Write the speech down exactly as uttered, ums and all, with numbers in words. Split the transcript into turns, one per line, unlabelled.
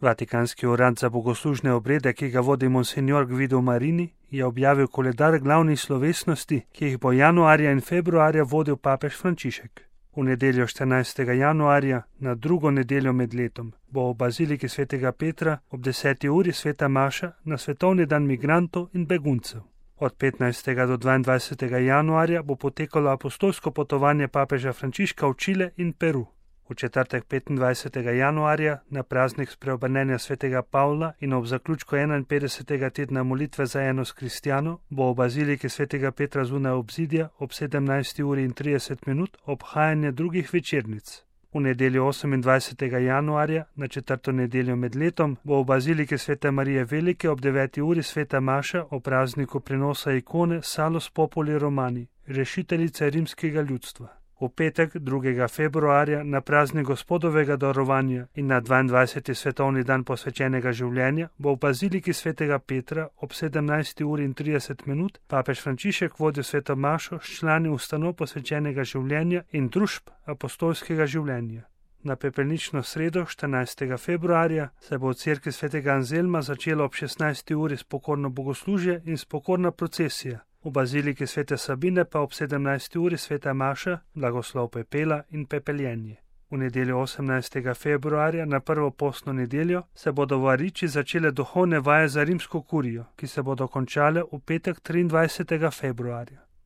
Vatikanski urad za bogoslužne obrede, ki ga vodi monsignor Guido Marini, je objavil koledar glavnih slovesnosti, ki jih bo januarja in februarja vodil papež Frančišek. V nedeljo štirinajstega januarja, na drugo nedeljo med letom, bo v baziliki svetega Petra ob deseti uri sveta maša na svetovni dan migrantov in beguncev. Od petnajstega do dvaindvajsetega januarja bo potekalo apostolsko potovanje papeža Frančiška v Čile in Peru. V četrtek petindvajsetega januarja, na praznik spreobrnenja svetega Pavla in ob zaključku enainpetdesetega tedna molitve za enost kristjanov, bo v baziliki svetega Petra zunaj obzidja ob sedemnajsti uri in trideset minut obhajanje drugih večernic. V nedeljo osemindvajsetega januarja, na četrto nedeljo med letom, bo v baziliki svete Marije Velike ob deveti uri sveta maša o prazniku prenosa ikone Salus Populi Romani, rešiteljice rimskega ljudstva. V petek, drugega februarja, na praznik Gospodovega darovanja in na dvaindvajseti svetovni dan posvečenega življenja, bo v baziliki svetega Petra ob sedemnajsti uri in trideset minut papež Frančišek vodil sveto mašo s člani ustanov posvečenega življenja in družb apostolskega življenja. Na pepelnično sredo, štirinajstega februarja, se bo v cerkvi svetega Anzelma začelo ob šestnajsti uri spokorno bogoslužje in spokorna procesija. V baziliki svete Sabine pa ob sedemnajsti uri sveta maša, blagoslov pepela in pepeljenje. V nedeljo osemnajstega februarja, na prvo postno nedeljo, se bodo v Ariči začele duhovne vaje za rimsko kurijo, ki se bodo končale v petek triindvajsetega februarja.